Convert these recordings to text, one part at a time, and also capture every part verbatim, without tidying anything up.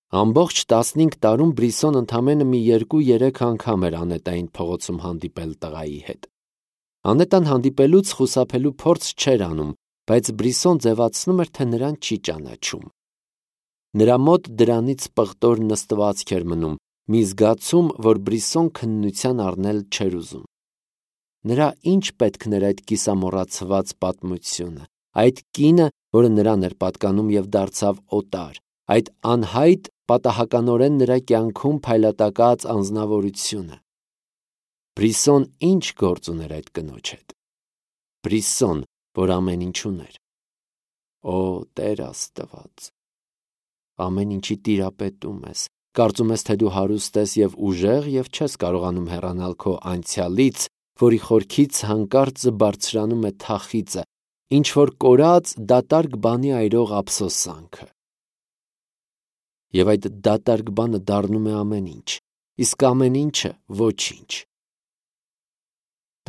Ամբողջ տասնհինգ տարում Բրիսոն ընդամենը մի երկու-երեք անգամ էր Անետային փողոցում հանդիպել տղայի հետ։ Անետան հանդիպելուց խուսափելու փորձ չէր անում, բայց Բրիսոն ձևացնում էր, թե նրան չի ճանաչում։ Նրա մոտ դրանից պղտոր նստվածք էր մնում, մի զգացում, որ Բրիսոն քննության առնել չէր ուզում։ Նրա ինչ պետքն էր այդ կիսամոռացված պատմությունը, այդ կինը, որը նրան էր պատկանում և դարձավ օտար, այդ անհայտ պատահականորեն նրա կյանքում փայլատակած անձնավորությունը։ Բրիսոն ինչ գործ ուներ այդ կնոջ հետ։ Բրիսոն, որ ամեն ինչ ուներ։ Օ, Տեր Աստված, ամեն ինչի տիրապետում ես, կարծում ես, թե դու հարուստ ես և ուժեղ և չես կարողանում հեռանալ քո անցյալից, որի խորքից հանկարծ բարձրանում է թախիծը, ինչ-որ կորած դատարկ բանի այրող ափսոսանքը։ Եվ այդ դատարկ բանը դառնում է ամեն ինչ, իսկ ամեն ինչը ոչինչ։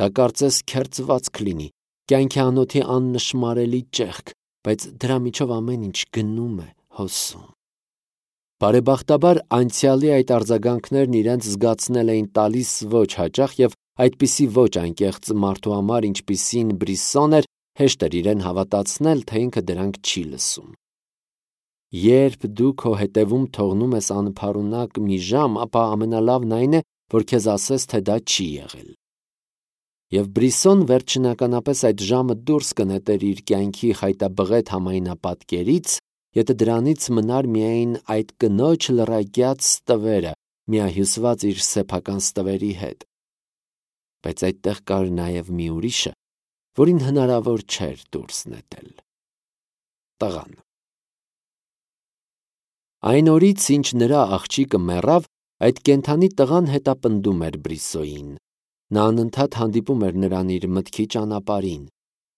Դա կարծես քերծվածք լինի, կյանքի անոթի աննշմարելի ճեղք, բայց դրա միջով ամեն ինչ գնում է, հոսում։ Բարեբախտաբար անցյալի այդ արձագանքներն իրենց զգացնել էին տալիս ոչ հաճախ և այդպիսի ոչ անկեղծ մարդու համար, ինչպիսին Բրիսոն էր, հեշտ էր իրեն հավատացնել, թե ինքը դրանք չի լսում։ Երբ դու քո հետևում թողնում ես անփառունակ մի ժամ, ապա ամենալավն այն է, որ քեզ ասես, թե դա չի եղել։ Եվ Բրիսոն վերջնականապես այդ ժամը դուրս կնետեր իր կյանքի խայտաբղետ համայնապատկերից, եթե դրանից մնար միայն այդ կնոջ լռակյաց ստվերը, միահյուսված իր սեփական ստվերի հետ։ Բայց այդտեղ կար նաև մի ուրիշը, որին հնարավոր չէր դուրս նետել։ Տղան։ Այն օրից, ինչ նրա աղջիկը մեռավ, այդ կենդանի տղան հետապնդում էր Բրիսոյին։ Նա անընդհատ հանդիպում էր նրան իր մտքի ճանապարհին։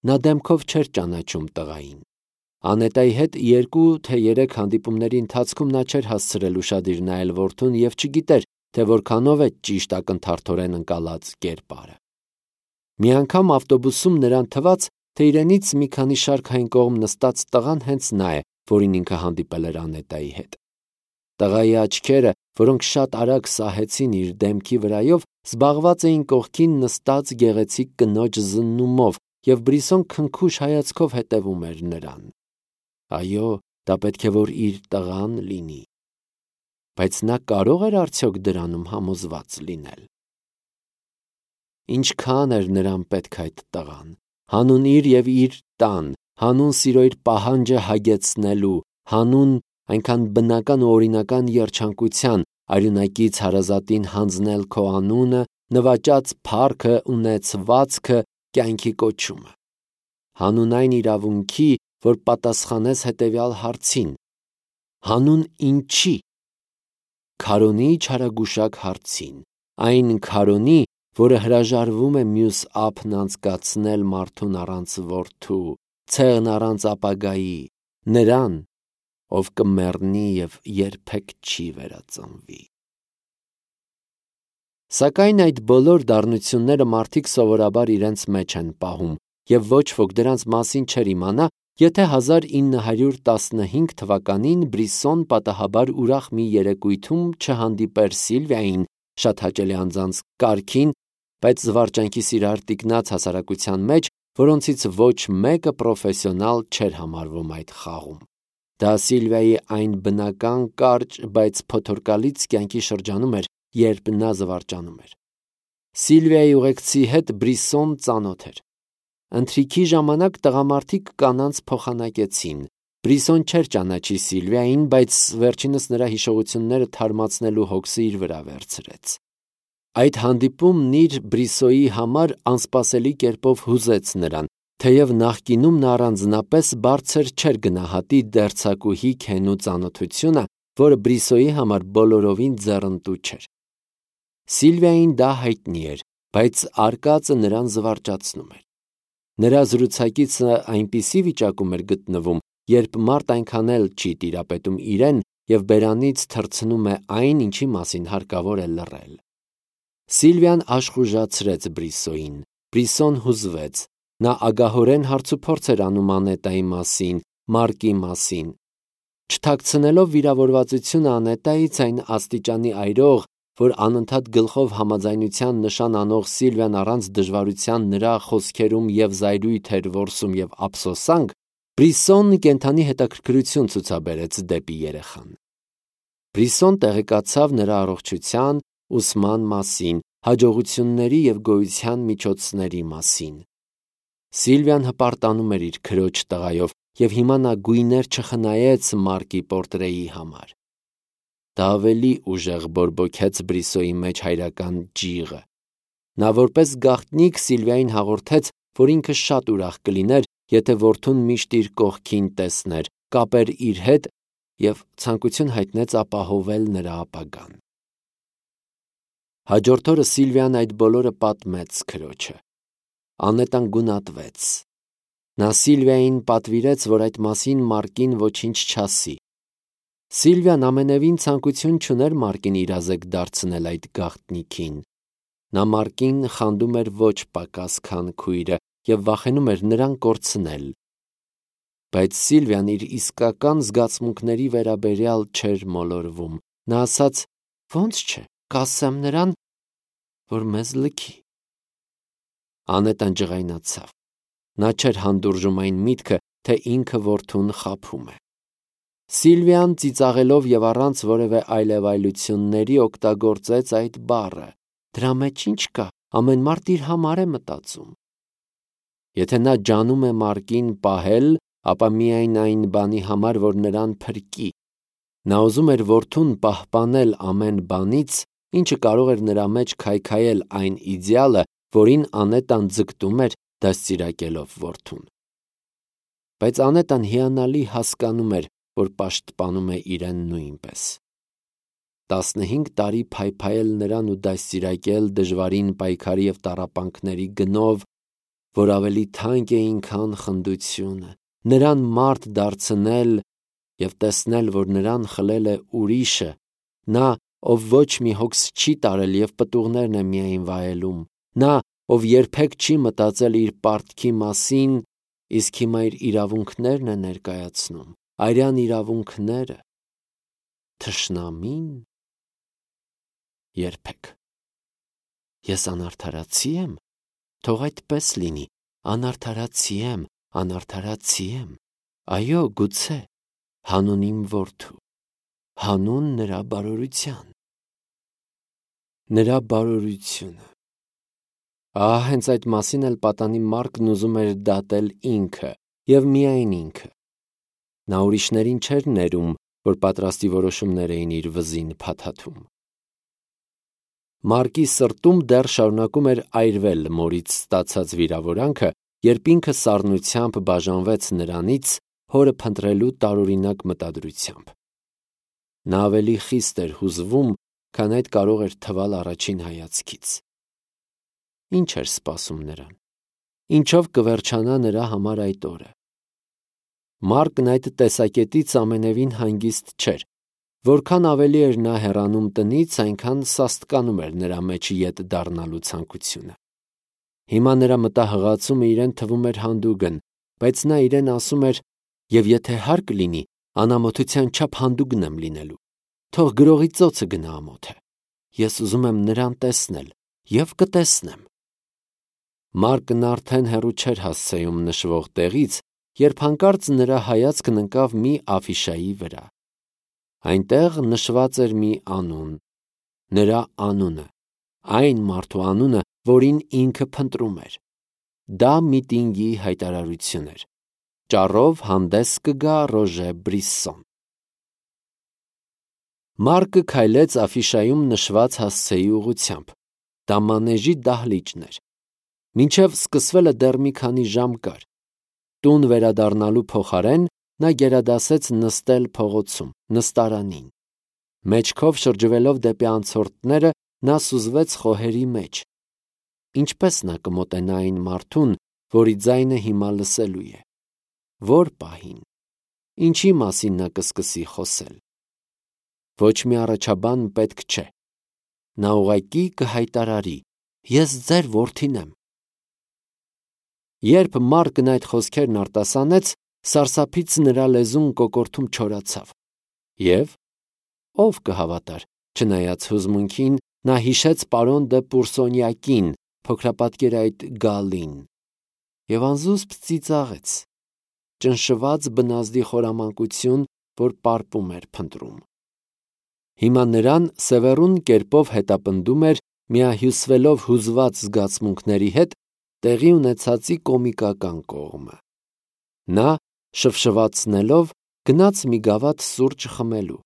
Նա դեմքով չէր ճանաչում տղային։ Անետայի հետ երկու թե երեք հանդիպումների ընթացքում նա չէր հասցրել ուշադիր նայել որդուն և չգիտեր, թե որքանով է ճիշտ ակնթարթորեն ընկալած կերպարը։ Մի անգամ ավտոբուսում նրան թվաց, թե իրենից մի քանի շարք այն կողմ նստած տղան հենց նա է, որին ինքը հանդիպել էր Անետայի հետ։ Տղայի աչքերը, որոնք շատ արագ սահեցին իր դեմքի վրայով, զբաղված էին կողքին նստած գեղեցիկ կնոջ զննումով, և Բրիսոն քնքուշ հայացքով հետևում էր նրան։ Այո, դա պետք է որ իր տղան լինի։ Բայց նա կարո՞ղ էր արդյոք դրանում համոզված լինել։ Ինչքան էր նրան պետք այդ տղան, հանուն իր և իր տան, հանուն սիրո իր պահանջը հագեցնելու, հանուն այնքան բնական ու օրինական երջանկության, արյունակից հարազատին հանձնել քո անունը, նվաճած փառքը, ունեցվածքը, կյանքի կոչումը։ Հանուն այն իրավունքի, որ պատասխանես հետևյալ հարցին. հանուն ինչի։ Քարոնի չարագուշակ հարցին, այն քարոնի, որը հրաժարվում է մյուս ափն անցկացնել մարդուն առանց որդու, ցեղն առանց ապագայի, նրան, ով կմեռնի և երբեք չի վերածնվի։ Սակայն այդ բոլոր դառնությունները մարդիկ սովորաբար իրենց մեջ են պահում, և ոչ ոք դրանց մասին չէր իմանա, եթե հազար ինը հարյուր տասնհինգ թվականին Բրիսոն պատահաբար ուրախ մի երեկույթում չհանդիպեր Սիլվիային, շատ հաճելի անձանց կարգին, բայց զվարճանքի սիրահար տիկնաց հասարակության մեջ, որոնցից ոչ մեկը պրոֆեսիոնալ չէր համարվում այդ խաղում։ Դա Սիլվիայի այն բնական կարճ, բայց փոթորկալից կյանքի շրջանում էր, երբ նա զվարճանում էր։ Սիլվիայի ուղեկցի հետ Բրիսոն ծանոթ էր։ Ընթրիքի ժամանակ տղամարդիկ կանանց փոխանակեցին։ Բրիսոն չէր ճանաչի Սիլվիային, բայց վերջինս նրա հիշողությունները թարմացնելու հոգսը իր վրա վերցրեց։ Այդ հանդիպումն իր Բրիսոյի համար անսպասելի կերպով հուզեց նրան, թեև նախկինում նա առանձնապես բարձր չէր գնահատի դերձակուհի Քենու ծանոթությունը, որը Բրիսոյի համար բոլորովին ձեռնտու չէր։ Սիլվիային դա հայտնի էր, բայց արկածը նրան զվարճացնում էր։ Նրա զրուցակիցը այնպիսի վիճակում էր գտնվում, երբ մարդ այնքան էլ չի տիրապետում իրեն և բերանից թռցնում է այն, ինչի մասին հարկավոր է լռել։ Սիլվիան աշխուժացրեց Բրիսոյին։ Բրիսոն հուզվեց։ Նա ագահորեն հարցուփորձ էր անում Անետայի մասին, Մարկի մասին։ Չթաքցնելով վիրավորվածությունը Անետայից, այն աստիճանի այրող, որ անընդհատ գլխով համաձայնության նշան անող Սիլվիան առանց դժվարության նրա խոսքերում և զայրույթ էր որսում և ափսոսանք, Բրիսոն կենդանի հետաքրքրություն ցուցաբերեց դեպի երեխան։ Բրիսոն տեղեկացավ նրա առողջության, ուսման մասին, հաջողությունների և գոյության միջոցների մասին։ Սիլվիան հպարտանում էր իր քրոջ տղայով, և հիմա նա գույներ չխնայեց Մարկի պորտրեի համար։ Դա ավելի ուժեղ բորբոքեց Բրիսոյի մեջ հայրական ջիղը։ Նա որպես գաղտնիք Սիլվիային հաղորդեց, որ ինքը շատ ուրախ կլիներ, եթե որդուն միշտ իր կողքին տեսներ, կապեր իր հետ և ցանկություն հայտնեց ապահովել նրա ապագան։ Հաջորդ օրը Սիլվիան այդ բոլորը պատմեց քրոջը։ Անետան գունատվեց։ Նա Սիլվիային պատվիրեց, որ այդ մասին Մարկին ոչինչ չասի։ Սիլվիան ամենևին ցանկություն չուներ Մարկին իրազեկ դարձնել այդ գաղտնիքին։ Նա Մարկին խանդում էր ոչ պակաս, քան քույրը, և վախենում էր նրան կորցնել։ Բայց Սիլվիան իր իսկական զգացմունքների վերաբերյալ չէր մոլորվում։ Նա ասաց. «Ոնց չէ, կասեմ նրան, որ մեզ լքի»։ Անետան ջղայնացավ։ Նա չէր հանդուրժում այն միտքը, թե ինքը որդուն խաբում է։ Սիլվիան ծիծաղելով և առանց որևէ այլևայլությունների օգտագործեց այդ բառը։ Դրա մեջ ի՞նչ կա, ամեն մարդ իր համար է մտածում։ Եթե նա ջանում է Մարկին պահել, ապա միայն այն բանի համար, որ նրան փրկի։ Նա ուզում էր որդուն պահպանել ամեն բանից, ինչը կարող էր նրա մեջ քայքայել այն իդեալը, որին Անետան ձգտում էր, դաստիարակելով որդուն։ Բայց Անետան հիանալի հասկանում էր, որ պաշտպանում է իրեն նույնպես։ Տասնհինգ տարի փայփայել նրան ու դաստիարակել դժվարին պայքարի և տառապանքների գնով, որ ավելի թանկ էին, քան խնդությունը, նրան մարդ դարձնել և տեսնել, որ նրան խլել է ուրիշը, նա, ով ոչ մի հոգս չի տարել և պտուղներն է միայն վայելում, նա, ով երբեք չի մտածել իր պարտքի մասին, իսկ հիմա իր իրավունքներն է ներկայացնում, արյան իրավունքները, թշնամին, երբեք։ Ես անարդարացի եմ, թող այդպես լինի, անարդարացի եմ, անարդարացի եմ, այո, գուցե, հանուն իմ որդու, հանուն նրա բարօրության։ Նրա բարօրությունը։ Ահա հենց այդ մասին էլ պատանի Մարկն ուզում էր դատել ինքը, և միայն ինքը։ Նա ուրիշներին չէր ներում, որ պատրաստի որոշումներ էին իր վզին փաթաթում։ Մարկի սրտում դեռ շարունակում էր այրվել մորից ստացած վիրավորանքը, երբ ինքը սառնությամբ բաժանվեց նրանից հորը փնտրելու տարօրինակ մտադրությամբ։ Նա ավելի խիստ էր հուզվում, քան այդ կարող էր թվալ առաջին հայացքից։ Ինչ էր սպասում նրան։ Ինչով կվերջանա նրա համար այդ օրը։ Մարկն այդ տեսակետից ամենևին հանգիստ չէր։ Որքան ավելի էր նա հեռանում տնից, այնքան սաստկանում էր նրա մեջ ետ դառնալու ցանկությունը։ Հիմա նրա մտահղացումը իրեն թվում էր հանդուգն, բայց նա իրեն ասում էր. «Եվ եթե հարկ լինի, անամոթության չափ հանդուգն եմ լինելու։ Թող գրողի ծոցը գնա ամոթը։ Ես ուզում եմ նրան տեսնել և կտեսնեմ»։ Մարկն արդեն հեռու չէր հասցեում նշվող տեղից, երբ հանկարծ նրա հայացքն ընկավ մի աֆիշայի վրա։ Այնտեղ նշված էր մի անուն, նրա անունը, այն մարդու անունը, որին ինքը փնտրում էր։ Դա միտինգի հայտարարություն էր։ Ճառով հանդես կգա Ռոժե Բրիսսոն։ Մարկը քայլեց աֆիշայում նշված հասցեի ուղղությամբ։ Դա մանեժի դահլիճն էր։ Մինչև սկսվելը դեռ մի քանի ժամ կար։ Տուն վերադառնալու փոխարեն նա գերադասեց նստել փողոցում, նստարանին։ Մեջքով շրջվելով դեպի անցորդները, նա սուզվեց խոհերի մեջ։ Ինչպես նա կմոտենա այն մարդուն, որի ձայնը հիմա լսելու է։ Ո՞ր պահին։ Ինչի մասին նա կսկսի խոսել։ Ոչ մի առաջաբան պետք չէ։ Նա ուղղակի կհայտարարի. «Ես ձեր որդին եմ»։ Երբ Մարկն այդ խոսքերն արտասանեց, սարսափից նրա լեզուն կոկորդում չորացավ։ Եվ ով կհավատար, չնայած հուզմունքին, նա հիշեց պարոն դը Պուրսոնյակին, փոքրապատկեր այդ գալին, և անզուսպ ծիծաղեց, ճնշված բնազդի խորամանկություն, որ պարպում էր փնտրում։ Հիմա նրան սևեռուն կերպով հետապնդում էր, միահյուսվելով հուզված զգացմունքների հետ, տեղի ունեցածի կոմիկական կողմը։ Նա, շվշվացնելով, գնաց մի գավաթ սուրճ խմելու,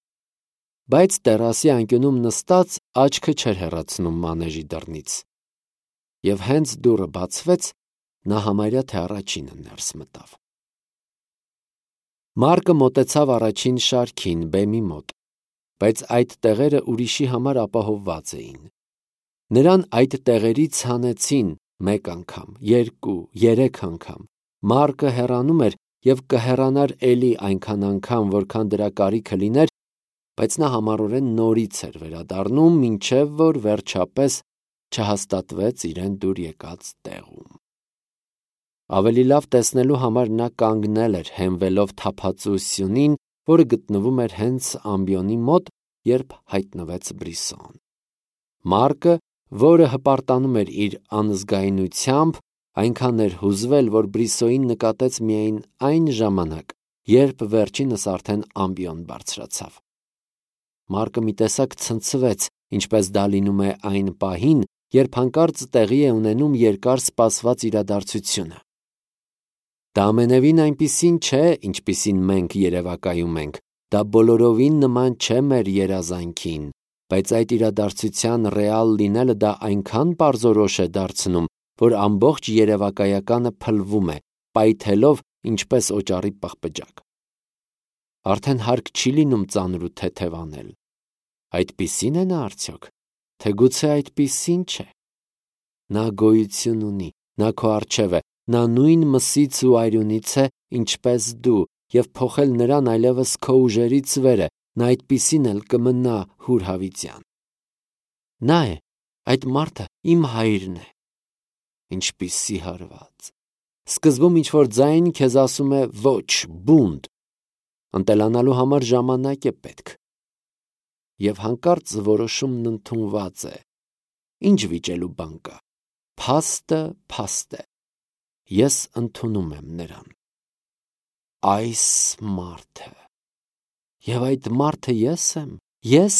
բայց տերասի անկյունում նստած աչքը չէր հեռացնում մանեժի դռնից, և հենց դուռը բացվեց, նա համարյա թե առաջինը ներս մտավ։ Մարկը մոտեցավ առաջին շարքին, բեմի մոտ, բայց այդ տեղերը ուրիշի համար ապահովված էին։ Նրան այդ տեղերից հանեցին մեկ անգամ, երկու, երեք անգամ։ Մարկը հեռանում էր և կհեռանար էլի այնքան անգամ, որքան դրա կարիքը լիներ, բայց նա համառորեն նորից էր վերադառնում, մինչև որ վերջապես չհաստատվեց իրեն դուր եկած տեղում։ Ավելի լավ տեսնելու համար նա կանգնել էր, հենվելով թափածու սյունին, որը գտնվում էր հենց ամբիոնի մոտ, երբ հայտնվեց Բրիսոն։ Մարկը, որը հպարտանում էր իր անզգայունությամբ, այնքան էր հուզվել, որ Բրիսոյին նկատեց միայն այն ժամանակ, երբ վերջինս արդեն ամբիոն բարձրացավ։ Մարկը մի տեսակ ցնցվեց, ինչպես դա լինում է այն պահին, երբ հանկարծ տեղի է ունենում երկար սպասված իրադարձությունը։ Դա ամենևին այնպիսին չէ, ինչպիսին մենք երևակայում ենք, դա բոլորովին նման չէ մեր երազանքին, բայց այդ իրադարձության ռեալ լինելը դա այնքան պարզորոշ է դարձնում, որ ամբողջ երևակայականը փլվում է, պայթելով ինչպես օճառի պղպջակ։ Արդեն հարկ չի լինում ծանր ու թեթև անել։ Այդպիսի՞ն է նա արդյոք, թե գուցե այդպիսին չէ։ Նա գոյություն ունի, նա քո առջև է, նա նույն մսից ու արյունից է, ինչպես դու, և փոխել նրան այլևս քո ուժերից վեր է, նա այդպիսին էլ կմնա հուրհավիտյան։ Նա է, այդ մարդը իմ հայրն է։ Ինչպիսի հարված։ Սկզբում ինչ-որ ձայն քեզ ասում է ոչ, բունտ, ընտելանալու համար ժամանակ է պետք։ Եվ հանկարծ որոշումն ընդունված է։ Ինչ վիճելու բան կա։ Փաստը փաստ է։ Ես ընդունում եմ նրան։ Այս մարդը։ Եվ այդ մարդը ես եմ։ Ես։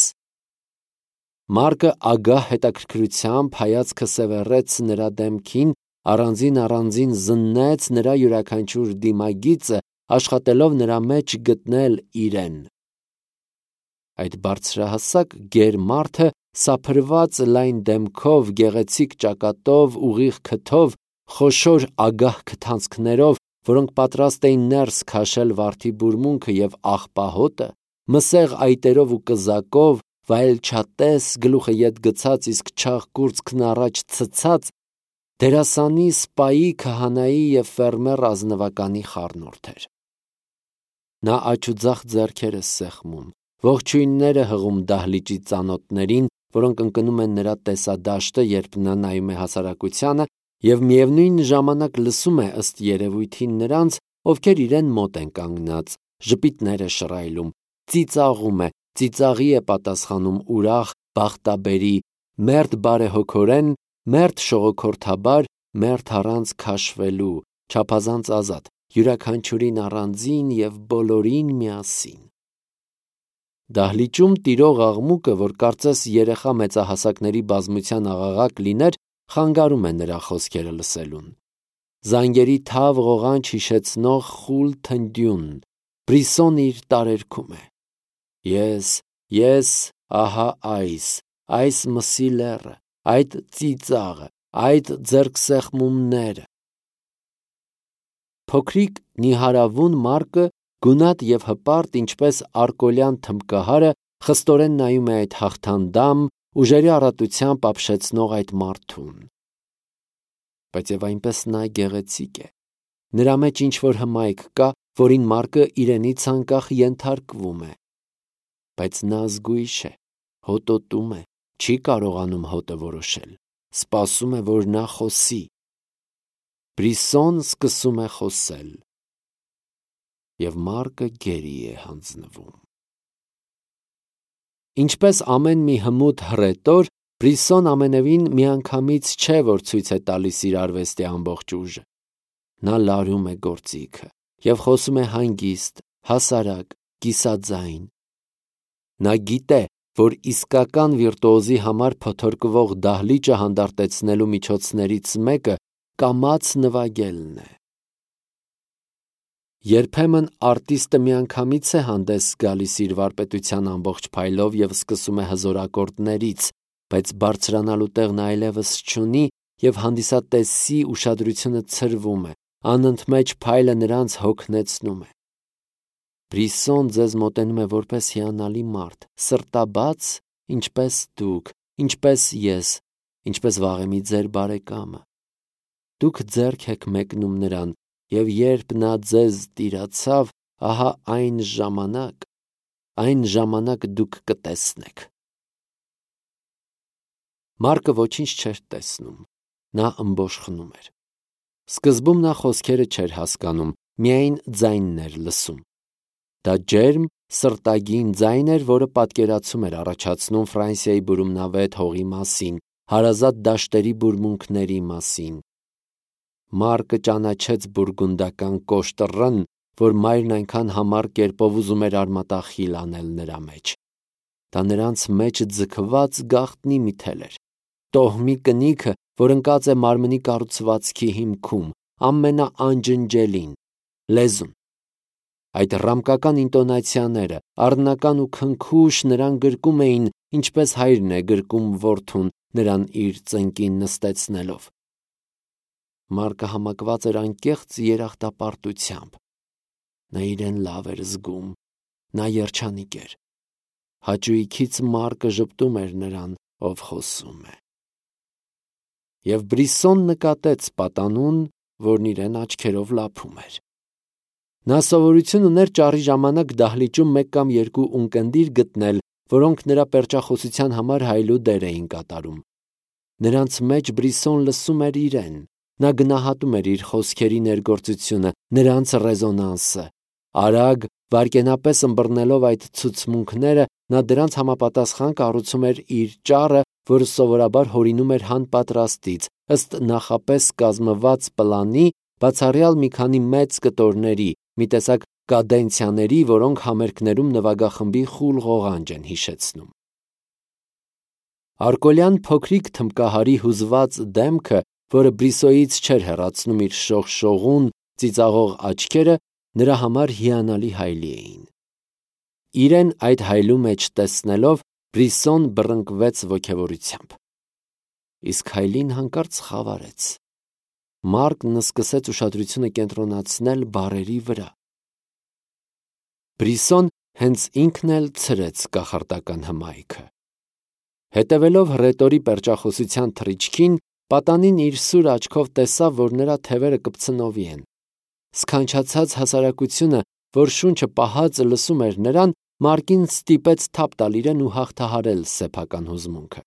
Մարկը ագահ հետաքրքրությամբ հայացքը սևեռեց նրա դեմքին, առանձին-առանձին զննեց նրա յուրաքանչյուր դիմագիծը, աշխատելով նրա մեջ գտնել իրեն։ Այդ բարձրահասակ գեր մարդը, սափրված լայն դեմքով, գեղեցիկ ճակատով, ուղիղ քթով, խոշոր ագահ քթանցքներով, որոնք պատրաստ էին ներս քաշել վարդի բուրմունքը և աղբահոտը, մսեղ այտերով ու կզակով, վայելչատես, գլուխը ետ գցած, իսկ չաղ կուրծքն առաջ ցցած, դերասանի, սպայի, քահանայի և ֆերմեր ազնվականի խառնուրդ էր։ Նա աջ ու ձախ ձեռքերը սեղմում, ողջույններ է հղում դահլիճի ծանոթներին, որոնք ընկնում են նրա տեսադաշտը, երբ նա նայում է հասարակությանը, և միևնույն ժամանակ լսում է ըստ երևույթին նրանց, ովքեր իրեն մոտ են կանգնած, ժպիտներ է շռայլում, ծիծաղում է, ծիծաղի է պատասխանում ուրախ, բախտաբերի, մերթ բարեհոգորեն, մերթ շողոքորթաբար, մերթ առանց քաշվելու, չափազանց ազատ, յուրաքանչյուրին առանձին և բոլորին միասին։ Դահլիճում տիրող աղմուկը, որ կարծես երեխա մեծահասակների բազմության աղաղակ լիներ, խանգարում է նրա խոսքերը լսելուն։ Զանգերի թավ ղողանջ հիշեցնող խուլ թնդյուն, Բրիսոն իր տարերքում է։ Ես, ես, ահա այս, այս մսի լեռը, այդ ծիծաղը, այդ ձեռքսեղմումները։ Փոքրիկ նիհարավուն Մարկը, գունատ և հպարտ, ինչպես արկոլյան թմբկահարը, խստորեն նայում է այդ հաղթանդամ, ուժերի առատությամբ ապշեցնող այդ մարդուն։ Բայց և այնպես նա գեղեցիկ է։ Նրա մեջ ինչ-որ հմայք կա, որին Մարկը իրենից անկախ ենթարկվում է։ Բայց նա զգույշ է, հոտոտում է, չի կարողանում հոտը որոշել, սպասում է, որ նա խոսի։ Բրիսոն սկսում է խոսել։ Եվ Մարկը գերի է հանձնվում։ Ինչպես ամեն մի հմուտ հռետոր, Բրիսսոն ամենևին միանգամից չէ, որ ցույց է տալիս իր արվեստի ամբողջ ուժը։ Նա լարում է գործիքը և խոսում է հանգիստ, հասարակ, կիսաձայն։ Նա գիտե, որ իսկական վիրտուոզի համար փոթորկվող դահլիճը հանդարտեցնելու միջոցներից մեկը կամաց նվագելն է։ Երբեմն արտիստը միանգամից է հանդես գալիս իր վարպետության ամբողջ փայլով և սկսում է հզոր ակորդներից, բայց բարձրանալու տեղն այլևս չունի և հանդիսատեսի ուշադրությունը ցրվում է, անընդմեջ փայլը նրանց հոգնեցնում է։ Բրիսսոն ձեզ մոտենում է որպես հիանալի մարդ, սրտաբաց, ինչպես դուք, ինչպես ես, ինչպես վաղեմի ձեր բարեկամը։ Դուք ձեռք եք մեկնում նրան, և երբ նա ձեզ տիրացավ, ահա այն ժամանակ, այն ժամանակ դուք կտեսնեք։ Մարկը ոչինչ չէր տեսնում, նա ըմբոշխնում էր։ Սկզբում նա խոսքերը չէր հասկանում, միայն ձայնն էր լսում։ Դա ջերմ, սրտագին ձայն էր, որը պատկերացում էր առաջացնում Ֆրանսիայի բուրումնավետ հողի մասին, հարազատ դաշտերի բուրմունքների մասին։ Մարկը ճանաչեց բուրգունդական կոշտ ռն, որ մայրն այնքան համառ կերպով ուզում էր արմատախիլ անել նրա մեջ։ Դա նրանց մեջ ձգված գաղտնի մի թել էր, տոհմի կնիքը, որ ընկած է մարմնի կառուցվածքի հիմքում, ամենաանջնջելին՝ լեզուն։ Այդ ռամկական ինտոնացիաները, առնական ու քնքուշ, նրան գրկում էին, ինչպես հայրն է գրկում որդուն, նրան իր ծնկին նստեցնելով։ Մարկը համակված էր անկեղծ երախտապարտությամբ։ Նա իրեն լավ էր զգում, նա երջանիկ էր։ Հաճույքից Մարկը ժպտում էր նրան, ով խոսում է։ Եվ Բրիսսոն նկատեց պատանուն, որն իրեն աչքերով լափում էր։ Նա սովորություն ուներ ճառի ժամանակ դահլիճում մեկ կամ երկու ունկնդիր գտնել, որոնք նրա պերճախոսության համար հայլու դեր էին կատարում։ Նրանց մեջ Բրիսսոն լսում էր իրեն։ Նա գնահատում էր իր խոսքերի ներգործությունը, նրանց ռեզոնանսը։ Արագ, վայրկենապես ըմբռնելով այդ ցուցմունքները, նա դրանց համապատասխան կառուցում էր իր ճառը, որը սովորաբար հորինում էր հանպատրաստից, ըստ նախապես կազմված պլանի, բացառյալ մի քանի մեծ կտորների, մի տեսակ կադենցիաների, որոնք համերգներում նվագախմբի խուլ ղողանջ են հիշեցնում։ Արկոլյան փոքրիկ թմբկահարի հուզված դեմքը, որը Բրիսոյից չէր հեռացնում իր շողշողուն, ծիծաղող աչքերը, նրա համար հիանալի հայլի էին։ Իրեն այդ հայլու մեջ տեսնելով, Բրիսսոն բռնկվեց ոգևորությամբ։ Իսկ հայլին հանկարծ խավարեց։ Մարկն սկսեց ուշադրությունը կենտրոնացնել բառերի վրա։ Բրիսսոն հենց ինքն էլ ցրեց կախարդական հմայքը։ Հետևելով հռետորի պերճախոսության թռիչքին, պատանին իր սուր աչքով տեսավ, որ նրա թևերը կպցնովի են։ Սքանչացած հասարակությունը, որ շունչը պահած լսում էր նրան, Մարկին ստիպեց թափ տալ իրեն ու հաղթահարել սեփական հուզմունքը։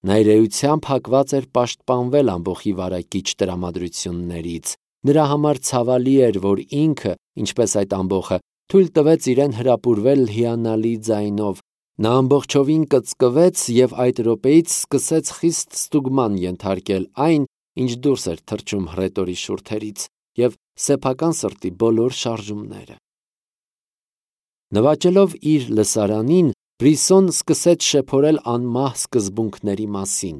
Նա իր էությամբ հակված էր պաշտպանվել ամբոխի վարակիչ տրամադրություններից։ Նրա համար ցավալի էր, որ ինքը, ինչպես այդ ամբոխը, թույլ տվեց իրեն հրապուրվել հիանալի ձայնով։ Նա ամբողջովին կծկվեց և այդ րոպեից սկսեց խիստ ստուգման ենթարկել այն, ինչ դուրս էր թռչում հռետորի շուրթերից, և սեփական սրտի բոլոր շարժումները։ Նվաճելով իր լսարանին, Բրիսսոն սկսեց շեփորել անմահ սկզբունքների մասին։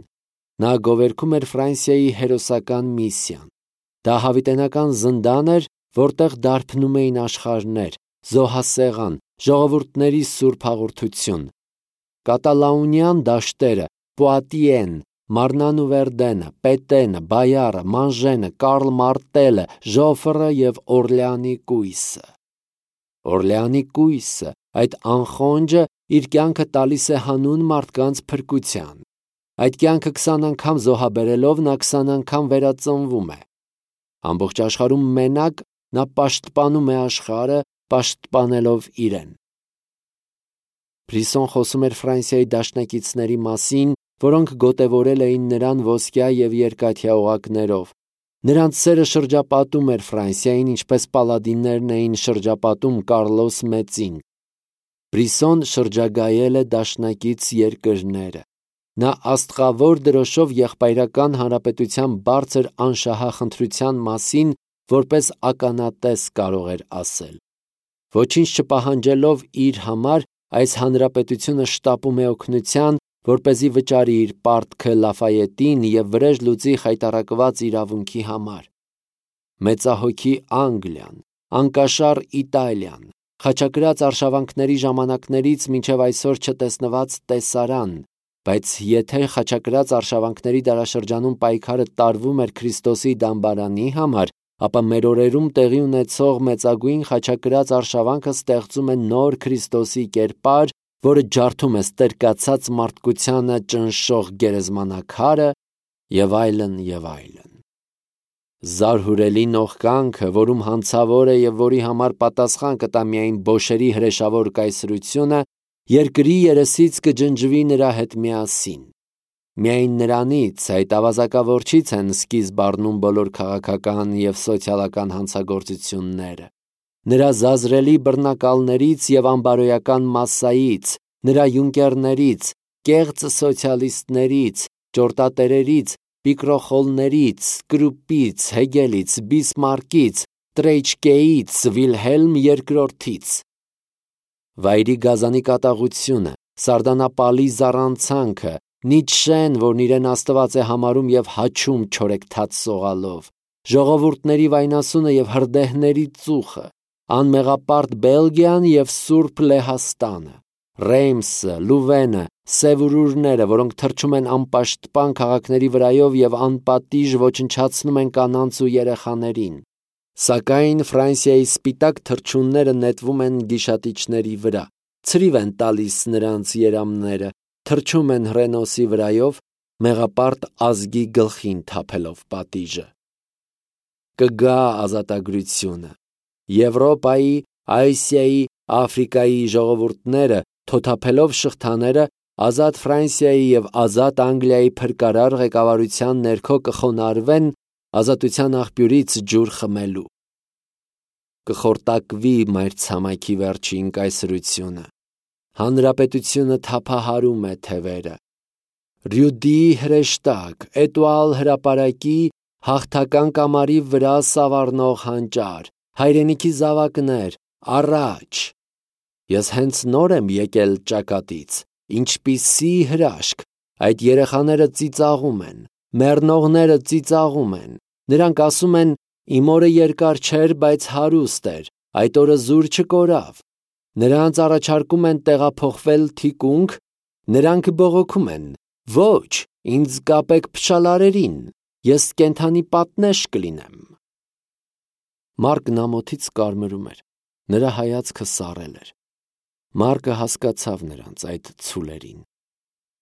Նա գովերգում էր Ֆրանսիայի հերոսական միսիան։ Դա հավիտենական զնդան էր, որտեղ դարբնում էին աշխարհներ, զոհասեղան, ժողովուրդների սուրբ հաղորդություն։ Կատալաունյան դաշտերը, Պուատիեն, Մարնան ու Վերդենը, Պետենը, Բայարը, Մանժենը, Կարլ Մարտելը, Ժոֆրը և Օրլեանի կույսը։ Օրլեանի կույսը, այդ անխոնջը, իր կյանքը տալիս է հանուն մարդկանց փրկության։ Այդ կյանքը քսան անգամ զոհաբերելով նա քսան անգամ վերածնվում է։ Ամբողջ աշխարհում մենակ նա պաշտպանում է աշխարհը, պաշտպանելով իրեն։ Բրիսսոն խոսում էր Ֆրանսիայի դաշնակիցների մասին, որոնք գոտևորել էին նրան ոսկյա և երկաթյա օղակներով։ Նրանց սերը շրջապատում էր Ֆրանսիային, ինչպես պալադիններն էին շրջապատում Կարլոս Մեծին։ Բրիսոն շրջագայել է դաշնակից երկրները։ Նա աստղավոր դրոշով եղբայրական հանրապետության բարձր անշահախնդրության մասին որպես ականատես կարող էր ասել։ Ոչինչ չպահանջելով իր համար, այս հանրապետությունը շտապում է օգնության, որպեսզի վճարի իր պարտքը Լաֆայետին և վրեժ լուծի խայտառակված իրավունքի համար։ Մեծահոգի Անգլիան, անկաշառ Իտալիան, խաչակրաց արշավանքների ժամանակներից մինչև այսօր չտեսնված տեսարան, բայց եթե խաչակրաց արշավանքների դարաշրջանում պայքարը տարվում էր Քրիստոսի դամբարանի համար, ապա մեր օրերում տեղի ունեցող մեծագույն խաչակրաց արշավանքը ստեղծում է նոր Քրիստոսի կերպար, որը ջարդում է ստրկացած մարդկությանը ճնշող գերեզմանակարը և այլն և այլն։ Զարհուրելի նողկանքը, որում հանցավոր է և որի համար պատասխան կտա միայն բոշերի հրեշավոր կայսրությունը, երկրի երեսից կջնջվի նրա հետ միասին։ Միայն նրանից, այդ ավազակավորչից են սկիզբ առնում բոլոր քաղաքական և սոցիալական հանցագործությունները։ Նրա զազրելի բռնակալներից և անբարոյական մասսայից, նրա յունկերներից, կեղծ սոցիալիստներից, ճորտատերերից, պիկրոխոլներից, Կրուպից, Հեգելից, Բիսմարկից, Տրեյչկեից, Վիլհելմ երկրորդից։ Վայրի գազանի կատաղությունը, սարդանապալի զառանցանքը, Նիցշեն, որն իրեն աստված է համարում և հաչում չորեքթաթ սողալով, ժողովուրդների վայնասունը և հրդեհների ծուխը, անմեղապարտ Բելգիան և Սուրբ Լեհաստանը, Ռեյմսը, Լուվենը, սևուրուրները, որոնք թռչում են անպաշտպան քաղաքների վրայով և անպատիժ ոչնչացնում են կանանց ու երեխաներին։ Սակայն Ֆրանսիայի սպիտակ թռչունները նետվում են գիշատիչների վրա, ցրիվ են տալիս նրանց երամները, թռչում են Հռենոսի վրայով, մեղապարտ ազգի գլխին թափելով պատիժը։ Կգա ազատագրությունը։ Եվրոպայի, Ասիայի, Աֆրիկայի ժողովուրդները, թոթափելով շղթաները, ազատ Ֆրանսիայի և ազատ Անգլիայի փրկարար ղեկավարության ներքո կխոնարհվեն ազատության աղբյուրից ջուր խմելու։ Կխորտակվի մայրցամաքի վերջին կայսրությունը։ Հանրապետությունը թափահարում է թևերը։ Ռյուդիի հրեշտակ, Էտուալ հրապարակի, հաղթական կամարի վրա սավառնող հանճար, հայրենիքի զավակներ, առաջ։ Ես հենց նոր եմ եկել ճակատից, ինչպիսի հրաշք, այդ երեխաները ծիծաղում են, մեռնողները ծիծաղում են, նրանք ասում են, իմ օրը երկար չէր, բայց հարուստ էր, այդ օրը զուր չկորավ։ Նրանց առաջարկում են տեղափոխվել թիկունք, նրանք բողոքում են. ոչ, ինձ կապեք փշալարերին, ես կենդանի պատնեշ կլինեմ։ Մարկն ամոթից կարմրում էր, նրա հայացքը սառել էր։ Մարկը հասկացավ նրանց այդ ցուլերին։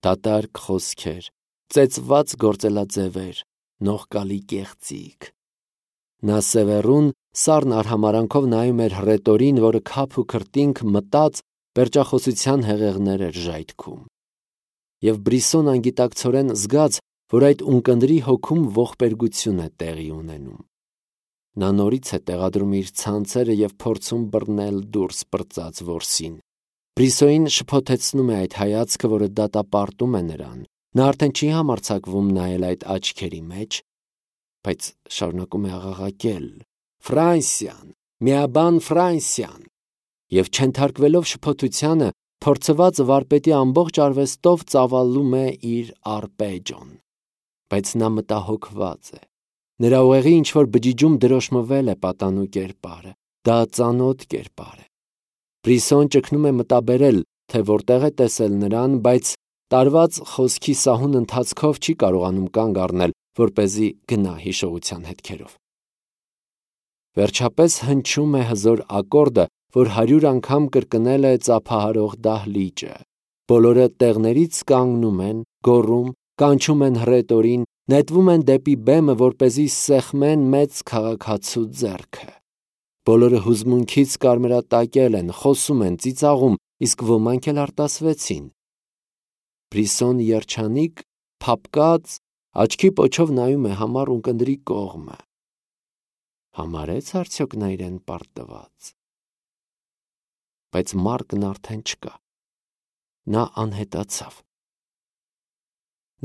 Դատարկ խոսքեր, ծեծված գործելաձևեր, նողկալի կեղծիք։ Նա սևեռուն սառն արհամարանքով նայում էր հռետորին, որը քափ ու քրտինք մտած պերճախոսության հեղեղներ էր ժայթքում։ Եվ Բրիսոն անգիտակցորեն զգաց, որ այդ ունկնդրի հոգում ողբերգություն է տեղի ունենում։ Նա նորից է տեղադրում իր ցանցերը և փորձում բռնել դուրս պրծած որսին։ Բրիսոյին շփոթեցնում է այդ հայացքը, որը դատապարտում է նրան։ Նա արդեն չի համարձակվում նայել այդ աչքերի մեջ, բայց շարունակում է աղաղակել. Ֆրանսիան, միաբան Ֆրանսիան։ Եվ չենթարկվելով շփոթությանը, փորձված վարպետի ամբողջ արվեստով ծավալում է իր արպեջոն։ Բայց նա մտահոգված է։ Նրա ուղեղի ինչ-որ բջիջում դրոշմվել է պատանու կերպարը, դա ծանոթ կերպար է։ Բրիսոն ճգնում է մտաբերել, թե որտեղ է տեսել նրան, բայց տարված խոսքի սահուն ընթացքով չի կարողանում կանգ առնել, որպեսզի գնա հիշողության հետքերով։ Վերջապես հնչում է հզոր ակորդը, որ հարյուր անգամ կրկնել է ծափահարող դահլիճը։ Բոլորը տեղներից կանգնում են, գոռում, կանչում են հռետորին, նետվում են դեպի բեմը, որպեսզի սեղմեն մեծ քաղաքացու ձեռքը։ Բոլորը հուզմունքից կարմրատակել են, խոսում են, ծիծաղում, իսկ ոմանք էլ արտասվեցին։ Բրիսոն երջանիկ, փափկած, աչքի պոչով նայում է համառ ունկնդրի կողմը։ Համարեց արդյոք նա իրեն պարտված։ բայց Մարկն արդեն չկա։ Նա անհետացավ։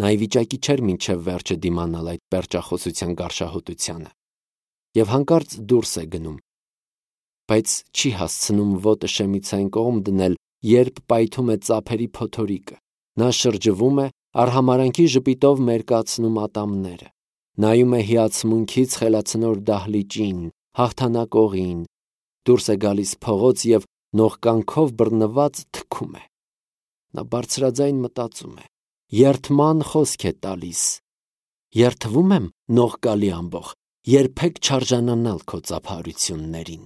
Նա ի վիճակի չէր մինչև վերջը դիմանալ այդ պերճախոսության գարշահոտությանը և հանկարծ դուրս է գնում, բայց չի հասցնում ոտը շեմիցային կողմ դնել, երբ պայթում է ծափերի փոթորիկը։ Նա շրջվում է, արհամարանքի ժպիտով մերկացնում ատամները, նայում է հիացմունքից խելացնոր դահլիճին, հաղթանակողին, դուրս է գալիս փողոց և նողկանքով բռնված թքում է։ Նա բարձրաձայն մտածում է. երդման խոսք է տալիս. երդվում եմ նողկալի ամբոխ, երբեք չարժանանալ քո ծափահարություններին։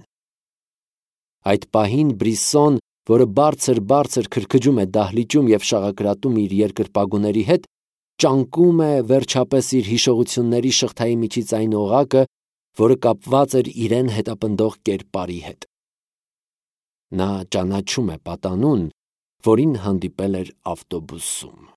Այդ պահին Բրիսոն, որը բարձր-բարձր քրքջում է դահլիճում և շաղակրատում իր երկրպագուների հետ, ճանկում է վերջապես իր հիշողությունների շղթայի միջից այն օղակը, որը կապված էր իրեն հետապնդող կերպարի հետ։ Նա ճանաչում է պատանուն, որին հանդիպել էր ավտոբուսում։